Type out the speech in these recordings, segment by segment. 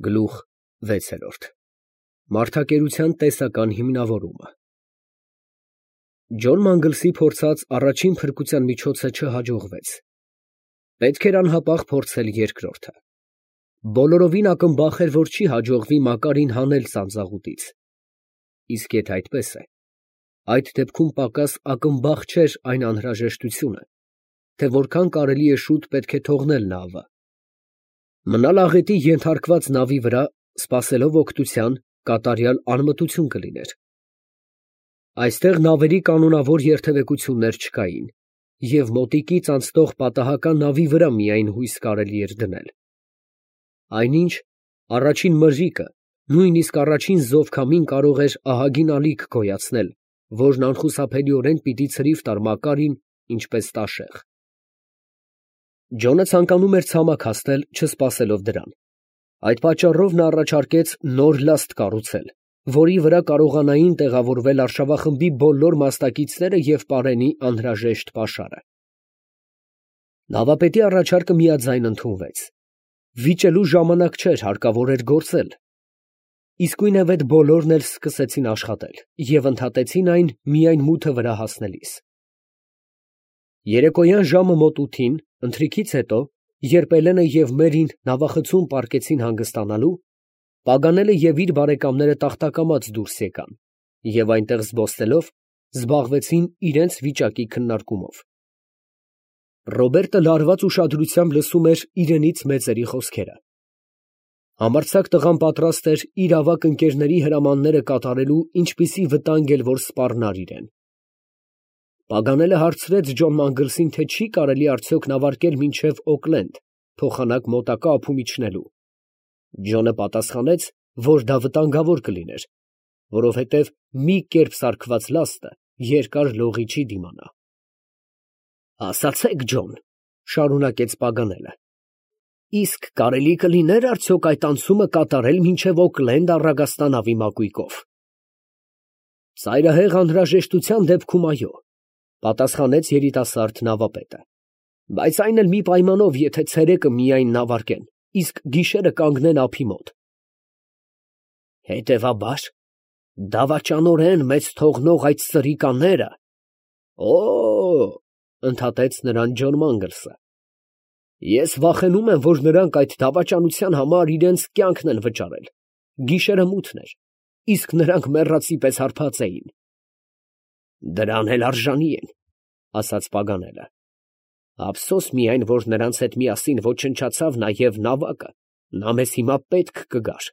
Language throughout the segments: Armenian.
Գլուխ 6 Մարդակերության տեսական հիմնավորումը Ջոն Մանգլսի փորձած առաջին փրկության միջոցը չհաջողվեց. պետք էր անհապաղ փորձել երկրորդը։ Բոլորովին ակնբախ էր, որ չի հաջողվի Մակարին հանել սանձաղուտից։ Իսկ եթե այդպես է, այդ դեպքում պակաս ակնբախ չէր այն անհրաժեշտությունը, թե որքան կարելի է շուտ պետք է թողնել նավը։ Մնալ աղետի ենթարկված նավի վրա, սպասելով օգնության, կատարյալ անմտություն կլիներ։ Այստեղ նավերի կանոնավոր երթևեկություններ չկային, և մոտիկից անցնող պատահական նավի վրա միայն հույս կարելի էր դնել։ Այնինչ, առաջին մրրիկը, նույնիսկ առաջին զովքամին կարող էր ահագին ալիք գոյացնել, որն անխուսափելիորեն պիտի ցրիվ տար Մակարին, ինչպես տաշեղ։ Ջոնը ցանկանում էր ցամաք հասնել, չսպասելով դրան։ Այդ պատճառով նա առաջարկեց նոր լաստ կառուցել, որի վրա կարողանային տեղավորվել արշավախմբի բոլոր մասնակիցները և պարենի անհրաժեշտ պաշարը։ Նավապետի առաջարկը միաձայն ընդունվեց։ Վիճելու ժամանակ չէր, հարկավոր էր գործել։ Իսկույնևեթ բոլորն էլ սկսեցին աշխատել և ընդհատեցին այն միայն մութը վրա հասնելիս։ Երեկոյան ժամը մոտ 8-ին, ընթրիքից հետո, երբ Էլենը և Մերին նավախցում պառկեցին հանգստանալու, Պագանելը և իր բարեկամները տախտակամած դուրս եկան և այնտեղ զբոսնելով, զբաղվեցին իրենց վիճակի քննարկումով։ Ռոբերտը լարված ուշադրությամբ լսում էր իրենից մեծերի խոսքերը։ Համարձակ տղան պատրաստ էր իր ավագ ընկերների հրամանները կատարելու ինչպիսի վտանգ էլ որ սպառնար իրեն։ Պագանելը հարցրեց Ջոն Մանգլսին, թե չի կարելի արդյոք նավարկել մինչև Օքլենդ, փոխանակ մոտակա ափում իջնելու։ Ջոնը պատասխանեց, որ դա վտանգավոր կլիներ, որովհետև մի կերպ սարքված լաստը երկար լողի չի դիմանա։ Ասացեք, Ջոն, շարունակեց Պագանելը, իսկ կարելի կլիներ արդյոք այդ անցումը կատարել մինչև Օքլենդ առագաստանավի մակույկով։ Ծայրահեղ անհրաժեշտության դեպքում այո, պատասխանեց երիտասարդ նավապետը, բայց այն էլ մի պայմանով, եթե ցերեկը միայն նավարկեն, իսկ գիշերը կանգնեն ափի մոտ։ Հետևաբար, դավաճանորեն մեծ թողնող այդ սրիկաները… Օ, ընդհատեց նրան Ջոն Մանգլսը, ես վախենում եմ, որ նրանք այդ դավաճանության համար իրենց կյանքն են վճարել, գիշերը մութն էր, իսկ նրանք մեռածի պես հարբած էին։ Դրան էլ արժանի են, ասաց Պագանելը, ափսոս միայն, որ նրանց հետ միասին ոչնչացավ նաև նավակը, նա մեզ հիմա պետք կգար։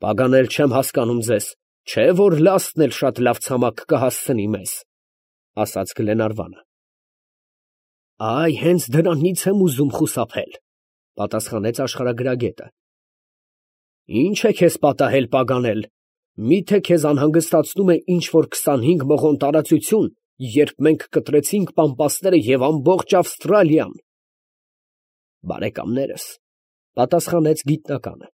Պագանել, չեմ հասկանում ձեզ, չէ՞ որ լաստն էլ շատ լավ ցամաք կհասցնի մեզ, ասաց Գլենարվանը։ Այ հենց դրանից եմ ուզում խուսափել, պատասխանեց աշխարհագրագետը։ Ինչ է քեզ պատահել, Պագանել, միթե քեզ անհանգստացնում է ինչ֊որ 25 մղոն տարածություն, երբ մենք կտրեցինք Պամպասները և ամբողջ Ավստրալիան։ Բարեկամներս, պատասխանեց գիտնականը,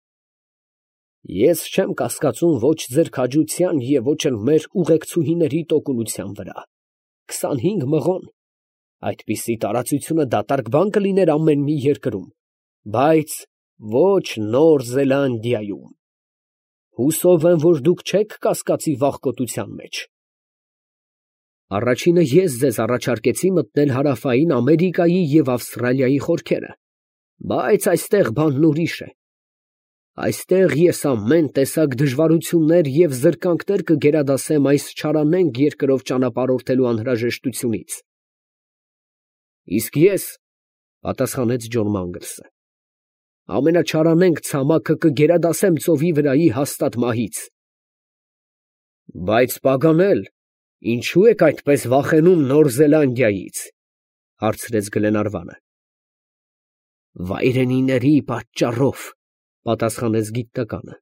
ես չեմ կասկածում ոչ ձեր քաջության և ոչ էլ մեր ուղեկցուհիների տոկունության վրա։ 25 մղոն… Այդպիսի տարածությունը դատարկ բան կլիներ ամեն մի երկրում, բայց ոչ Նոր Զելանդիայում։ Հուսով եմ, որ դուք չեք կասկածի վախկոտության մեջ։ Առաջինը ես ձեզ առաջարկեցի մտնել Հարավային Ամերիկայի և Ավստրալիայի խորքերը, բայց այստեղ բանն ուրիշ է։ Այստեղ ես ամեն տեսակ դժվարություններ և զրկանքներ կգերադասեմ այս չարանենգ երկրով ճանապարհորդելու անհրաժեշտությունից։ Իսկ ես, պատասխանեց Ջոն Մանգլսը, ամենաչարանենգ ցամաքը կգերադասեմ ծովի վրայի հաստատ մահից։ Բայց Պագանել, ինչո՞ւ եք այդպես վախենում Նոր Զելանդիայից, հարցրեց Գլենարվանը։ Վայրենիների պատճառով, պատասխանեց գիտնականը։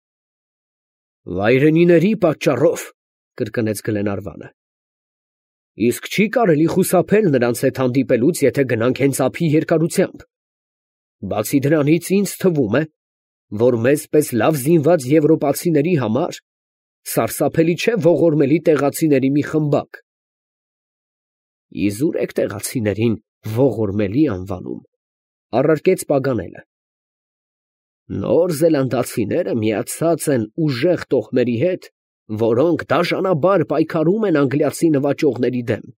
Վայրենիների պատճառով, կրկնեց Գլենարվանը։ Իսկ չի կարելի խուսափել նրանց հետ հանդիպելուց, եթե գնանք հենց ափի երկարությամբ։ Բացի դրանից, ինձ թվում է, որ մեզ պես լավ զինված եվրոպացիների համար սարսափելի չէ ողորմելի տեղացիների մի խմբակ։ Իզուր եք տեղացիներին ողորմելի անվանում, առարկեց Պագանելը։ Նոր զելանդացիները միացած են ուժեղ տոհմերի հետ, որոնք դաժանաբար պայքարում են անգլիացի նվաճողների դեմ,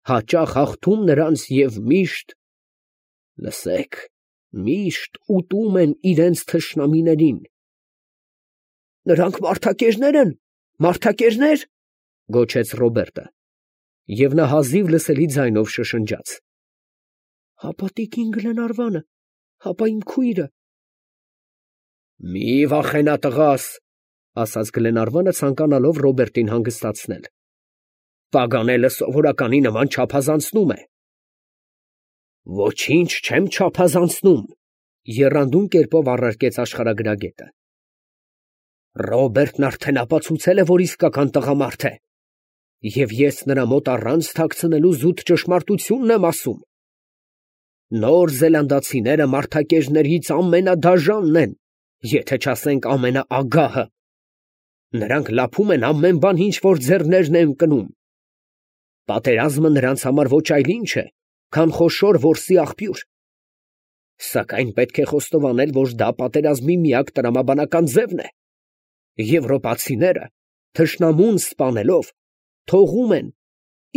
հաճախ հաղթում նրանց և լսեք, միշտ ուտում են իրենց թշնամիներին։ «Նրանք մարդակերներ են, մարդակերներ», գոչեց Ռոբերտը, և նա հազիվ լսելի ձայնով շշնջաց. «Հապա տիկին Գլենարվանը, հապա իմ քույրը»։ «Մի վախենա, տղաս», ասաց Գլենարվանը, ցանկանալով Ռոբերտին հանգստացնել. «Պագանելը սովորականի նման չափազանցնում է»։ «Ոչինչ չեմ չափազանցնում», եռանդուն կերպով առարկեց աշխարհագրագետը։ «Ռոբերտն արդեն ապացուցել է, որ իսկական տղամարդ է, և ես նրա մոտ առանց թաքցնելու զուտ ճշմարտությունն եմ ասում։ Նոր զելանդացիները մարդակերներից ամենադաժանն են, եթե չասենք ամենաագահը։ Նրանք լափում են ամեն բան, ինչ որ ձեռներն են ընկնում։ Պատերազմը նրանց համար ոչ այլ ինչ է, քան խոշոր որսի աղբյուր։ Սակայն պետք է խոստովանել, որ դա պատերազմի միակ տրամաբանական ձևն է։ Եվրոպացիները թշնամուն սպանելով թողում են,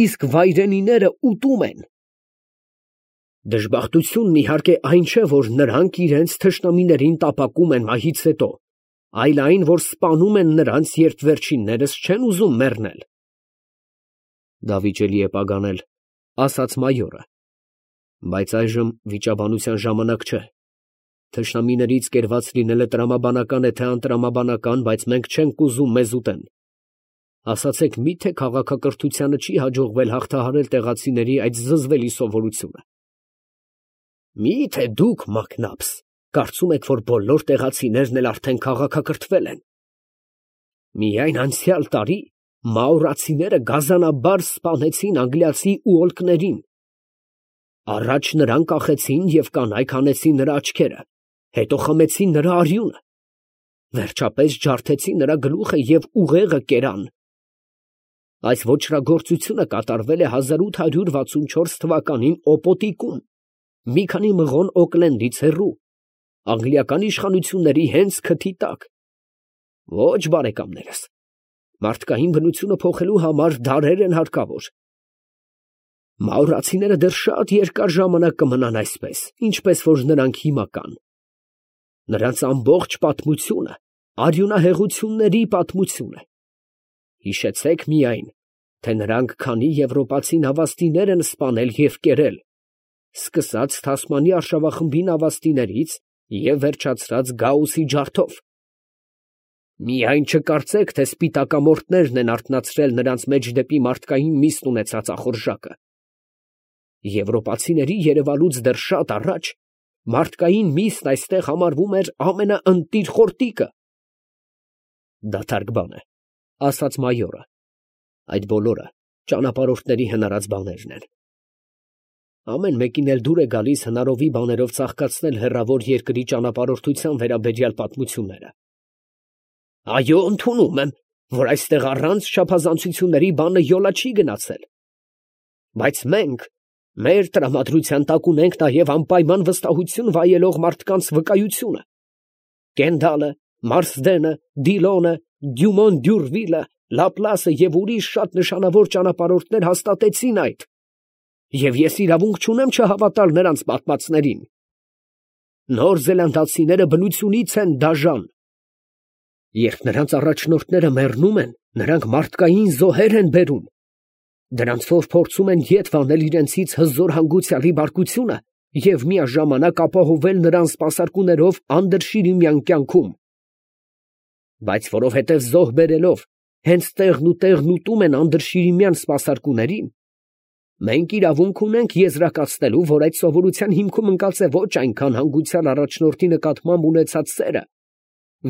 իսկ վայրենիները ուտում են։ Դժբախտությունն իհարկե այն չէ, որ նրանք իրենց թշնամիներին տապակում են մահից հետո, այլ այն, որ սպանում են նրանց, երբ վերջիններս չեն ուզում մեռնել։ Դավիճելի է պագանել, ասաց մայորը, բայց այժմ վիճաբանության ժամանակ չէ։ Թշնամիներից կերված լինելը տրամաբանական է թե անտրամաբանական, բայց մենք չենք ուզում մեզ ուտեն։ Ասացեք, մի՞թե քաղաքակրթությանը չի հաջողվել հաղթահարել տեղացիների այդ զզվելի սովորությունը։ Մի՞թե դուք, մակնաբս, կարծում եք, որ բոլոր տեղացիներն էլ արդեն քաղաքակրթվել են։ Միայն անցյալ տարի մաուրացիները գազանաբար սպանեցին անգլիացի ուոլկներին։ Առաջ նրան կախեցին և կանայք հանեցին նրա աչքերը, հետո խմեցին նրա արյունը, վերջապես ջարդեցին նրա գլուխը և ուղեղը կերան։ Այս ոճրագործությունը կատարվել է 1864 թվականին Օպոտիկում, մի քանի մղոն Օքլենդից հեռու, անգլիական իշխանությունների հենց քթի տակ։ Ոչ, բարեկամներս, մարդկային բնությունը փոխելու համար դարեր են հարկավոր։ Մաուրացիները դեռ շատ երկար ժամանակ կմնան այսպես, ինչպես որ նրանք հիմա կան։ Նրանց ամբողջ պատմությունը արյունահեղությունների պատմություն է։ Հիշեցեք միայն, թե նրանք քանի եվրոպացի նավաստիներ են սպանել և կերել, սկսած Թասմանի արշավախմբի նավաստիներից և վերջացրած Գաուսի ջարդով։ Միայն չկարծեք, թե սպիտակամորթներն են արթնացրել նրանց մեջ դեպի մարդկային միստ ունեցած ախորժակը։ Եվրոպացիների երևալուց դեռ շատ առաջ մարդկային միսն այստեղ համարվում էր ամենաընտիր խորտիկը։ Դատարկ բան է, ասաց մայորը, այդ բոլորը ճանապարհորդների հնարած բաներն են։ Ամեն մեկին էլ դուր է գալիս հնարովի բաներով ծաղկացնել հեռավոր երկրի ճանապարհորդության վերաբերյալ պատմությունները։ Այո, ընդունում եմ, որ այստեղ առանց չափազանցությունների բանը յոլա չի գնացել։ Բայց մենք մեր տրամադրության տակ ունենք նաև անպայման վստահություն վայելող մարդկանց վկայությունը։ Կենդալը, Մարսդենը, Դիլոնը, Դյումոն Դյուրվիլը, Լապլասը և ուրիշ շատ նշանավոր ճանապարհորդներ հաստատեցին այդ, և ես իրավունք չունեմ չհավատալ նրանց պատմածներին։ Նոր զելանդացիները բնությունից են դաժան։ Երբ նրանց առաջնորդները մեռնում են, նրանք մարդկային զոհեր են բերում։ Դրանցով փորձում են ետ վանել իրենցից հզոր հանգուցյալի բարկությունը և միաժամանակ ապահովել նրան սպասարկուներով անդրշիրիմյան կյանքում։ Բայց որովհետև զոհ բերելով հենց տեղն ու տեղն ուտում են անդրշիրիմյան սպասարկուներին, մենք իրավունք ունենք եզրակացնելու, որ այդ սովորության հիմքում ընկած է ոչ այնքան հանգուցյալ առաջնորդի նկատմամբ ունեցած սերը,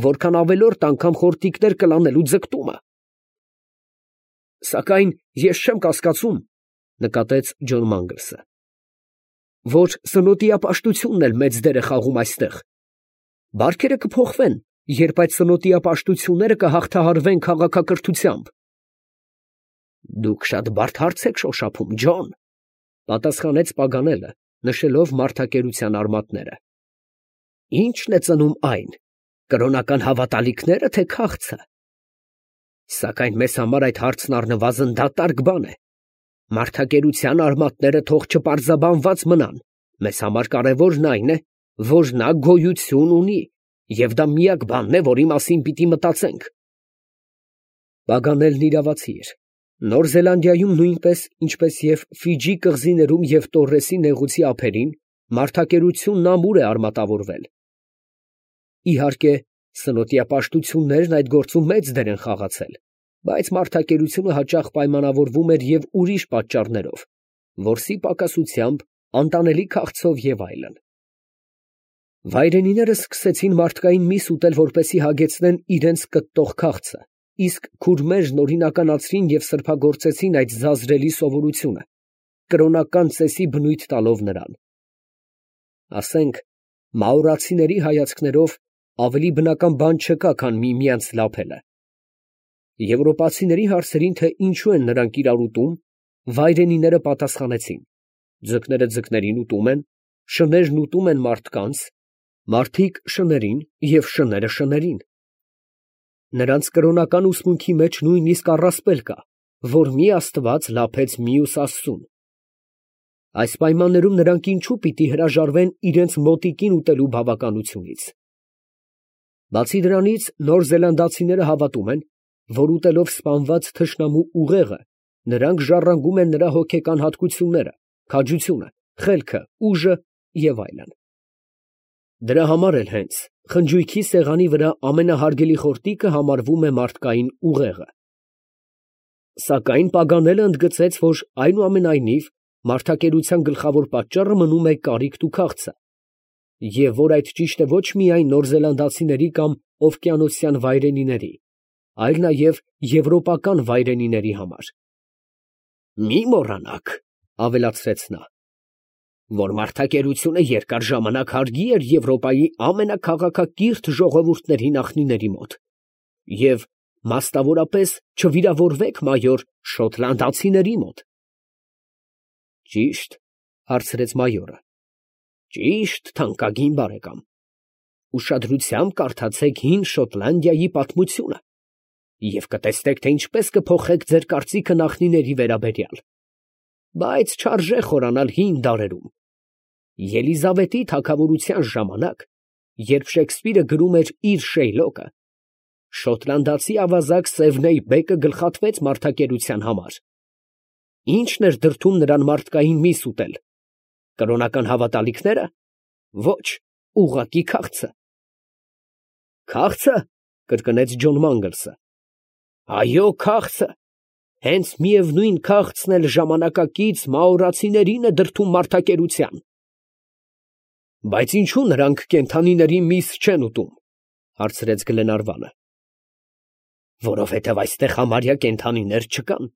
որքան ավելորդ անգամ խորտիկներ կլանելու ձգտումը։ Սակայն ես չեմ կասկածում, նկատեց Ջոն Մանգլսը, որ սնոտիապաշտությունն էլ մեծ դեր է խաղում այստեղ։ Բարքերը կփոխվեն, երբ այդ սնոտիապաշտությունները կհաղթահարվեն քաղաքակրթությամբ։ Դուք շատ բարդ հարց եք շոշափում, Ջոն, պատասխանեց Պագանելը, նշելով մարդակերության արմատները։ Ի՞նչն է ծնում այն, կրոնական հավատալիքնե՞րը, թե քաղցը։ Սակայն մեզ համար այդ հարցն առնվազն դատարկ բան է։ Մարդակերության արմատները թող չպարզաբանված մնան, մեզ համար կարևորն այն է, որ նա գոյություն ունի, և դա միակ բանն է, որի մասին պիտի մտածենք։ Պագանելն իրավացի էր։ Նոր Զելանդիայում նույնպես, ինչպես և Ֆիջի կղզիներում և Տորրեսի նեղուցի ափերին, մարդակերությունն ամուր է արմատավորվել։ Իհարկե, սնոտիա պաշտություններն այդ գործում մեծ դեր են խաղացել, բայց մարդակերությունը հաճախ պայմանավորվում էր և ուրիշ պատճառներով, որսի պակասությամբ, անտանելի քաղցով և այլն։ Վայրենիները սկսեցին մարդկային միս ուտել, որպեսզի հագեցնեն իրենց կտտող քաղցը, իսկ քուրմերն օրինականացրին և սրբագործեցին այդ զազրելի սովորությունը, կրոնական ծեսի բնույթ տալով նրան։ Ասենք, մաորացիների հայացքներով ավելի բնական բան չկա, քան միմյանց լափելը։ Եվրոպացիների հարցերին, թե ինչու են նրանք իրար ուտում, վայրենիները պատասխանեցին. ձկները ձկներին ուտում են, շներն ուտում են մարդկանց, մարդիկ շներին և շները շներին։ Նրանց կրոնական ուսմունքի մեջ նույնիսկ առասպել կա, որ մի Աստված լափեց մյուս աստծուն։ Այս պայմաններում նրանք ինչու պիտի հրաժարվեն իրենց մոտիկին ուտելու բավականությունից։ Բացի դրանից, նոր զելանդացիները հավատում են, որ ուտելով սպանված թշնամու ուղեղը, նրանք ժառանգում են նրա հոգեկան հատկությունները, քաջությունը, խելքը, ուժը և այլն։ Դրա համար էլ հենց խնջույքի սեղանի վրա ամենահարգելի խորտիկը համարվում է մարդկային ուղեղը։ Սակայն Պագանելը ընդգծեց, որ այնուամենայնիվ մարդակերության գլխավոր պատճառը մնում է կարիքն ու քաղցը, և որ այդ ճիշտ է ոչ միայն նոր զելանդացիների կամ օվկիանոսյան վայրենիների, այլ նաև եվրոպական վայրենիների համար։ «Մի մոռանաք, ֊ ավելացրեց նա, ֊ որ մարդակերությունը երկար ժամանակ հարգի էր Եվրոպայի ամենաքաղաքակիրթ ժողովուրդների նախնիների մոտ, և մաստավորապես չվիրավորվեք, մայոր, շոտլանդացիների մոտ»։ ֊ Ճի՞շտ, ֊ հարցրեց մայորը։ ֊ Ճիշտ, թանկագին բարեկամ. ուշադրությամբ կարդացեք հին Շոտլանդիայի պատմությունը և կտեսնեք, թե ինչպես կփոխեք ձեր կարծիքը նախնիների վերաբերյալ։ Բայց չարժե խորանալ հին դարերում։ Ելիզավետի թագավորության ժամանակ, երբ Շեքսպիրը գրում էր իր Շեյլոկը, շոտլանդացի ավազակ Սևնեյ բեկը գլխատվեց մարդակերության համար։ Ի՞նչն էր դրդում նրան մարդկային միս ուտել։ Կրոնական հավատալիքնե՞րը։ Ոչ, ուղղակի քաղցը։ Քաղցը, ֊ կրկնեց Ջոն Մանգլսը։ Այո, քաղցը։ Հենց միևնույն քաղցն էլ ժամանակակից մաորացիներին է դրդում մարդակերության։ Բայց ինչու նրանք կենդանիների միս չեն ուտում, ֊ հարցրեց Գլենարվանը։ Որովհետև այստեղ համարյա կենդանիներ չկան, ֊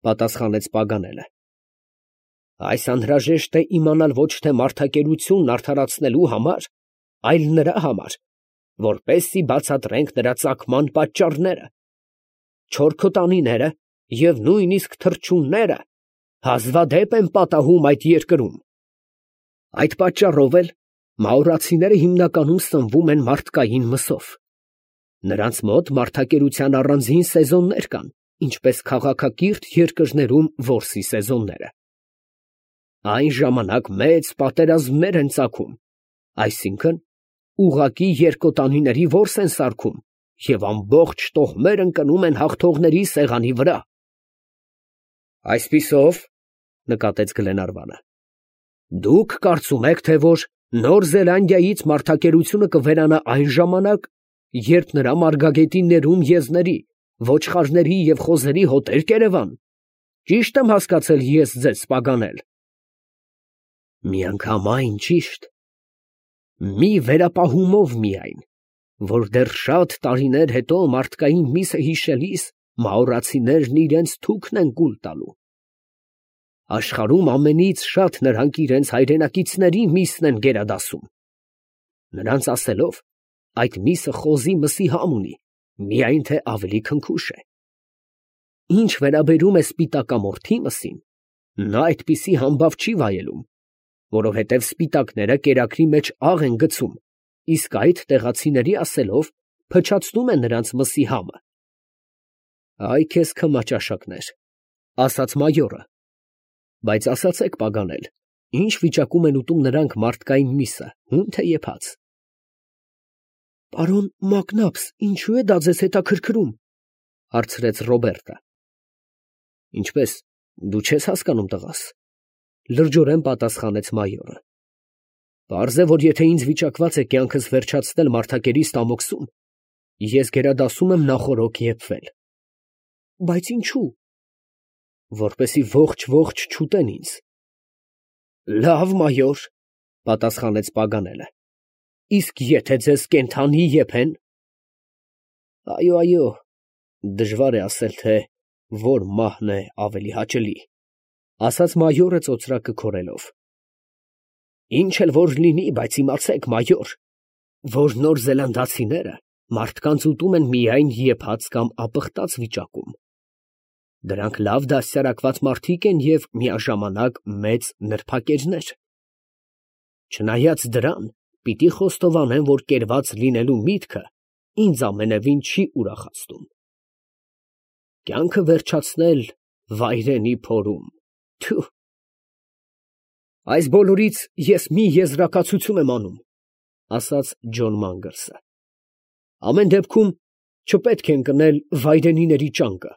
պատասխանեց Պագանելը։ Այս անհրաժեշտ է իմանալ ոչ թե մարդակերությունն արդարացնելու համար, այլ նրա համար, որպեսզի բացատրենք նրա ծագման պատճառները։ Չորքոտանիները և նույնիսկ թռչունները հազվադեպ են պատահում այդ երկրում։ Այդ պատճառով էլ մաորացիները հիմնականում սնվում են մարդկային մսով։ Նրանց մոտ մարդակերության առանձին սեզոններ կան, ինչպես քաղաքակիրթ երկրներում որսի սեզոնները։ Այն ժամանակ մեծ պատերազմներ են ծագում, այսինքն ուղղակի երկոտանիների որս են սարքում և ամբողջ տոհմեր ընկնում են հաղթողների սեղանի վրա։ Այսպիսով, ֊ նկատեց Գլենարվանը, ֊ դուք կարծում եք, թե որ Նոր Զելանդիայից մարդակերությունը կվերանա այն ժամանակ, երբ նրա մարգագետի ներում եզների, ոչխարների և խոզերի հոտեր կերևան։ Ճի՞շտ եմ հասկացել ես ձեզ, Պագանել։ Միանգամայն ճիշտ։ Մի վերապահումով միայն, որ դեռ շատ տարիներ հետո մարդկային միսը հիշելիս մաորացիներն իրենց թուքն են կուլ տալու։ Աշխարհում ամենից շատ նրանք իրենց հայրենակիցների միսն են գերադասում։ Նրանց ասելով, այդ միսը խոզի մսի համ ունի, միայն թե ավելի քնքուշ է։ Ինչ վերաբերում է սպիտակամորթի մսին, նա այդպիսի համբավ չի վայելում, որովհետև սպիտակները կերակրի մեջ աղ են գցում իսկ այդ տեղացիների ասելով փչացնում է նրանց մսի համը։ Այ քեզ քմաճաշակներ, ասաց մայորը, բայց ասացեք պագանել, ինչ վիճակում են ուտում նրանք մարդկային միսը, հում թե եփած։ Պարոն Մակնաբս, ինչու է դա ձեզ հետաքրքրում, հարցրեց Ռոբերտը։ Ինչպես, դու չես հասկանում, տղաս, լրջորեն պատասխանեց մայորը։ Պարզ է, որ եթե ինձ վիճակված է կյանքս վերջացնել մարդակերի ստամոքսում, ես գերադասում եմ նախօրոք եփվել։ Բայց ինչու։ Որպեսի ողջ չուտեն ինձ։ Լավ, մայոր, պատասխանեց Պագանելը։ Իսկ եթե ձեզ կենդանի եփեն։ Այո, դժվար է ասել, թե որ մահն է ավելի հաճելի, ասաց մայորը ծոծրակը քորելով։ Ինչ էլ որ լինի, բայց իմացեք, մայոր, որ նոր զելանդացիները մարդկանց ուտում են միայն եփած կամ ապխտած վիճակում։ Դրանք լավ դաստիարակված մարդիկ են և միաժամանակ մեծ նրբակերներ։ Չնայած դրան, պիտի խոստովանեմ, որ կերված լինելու միտքը ինձ ամենևին չի ուրախացնում։ Կյանքը վերջացնել վայրենի փորում, թյու։ Այս բոլորից ես մի եզրակացություն եմ անում, ասաց Ջոն Մանգլսը։ Ամեն դեպքում չպետք է ընկնել վայրենիների ճանկը։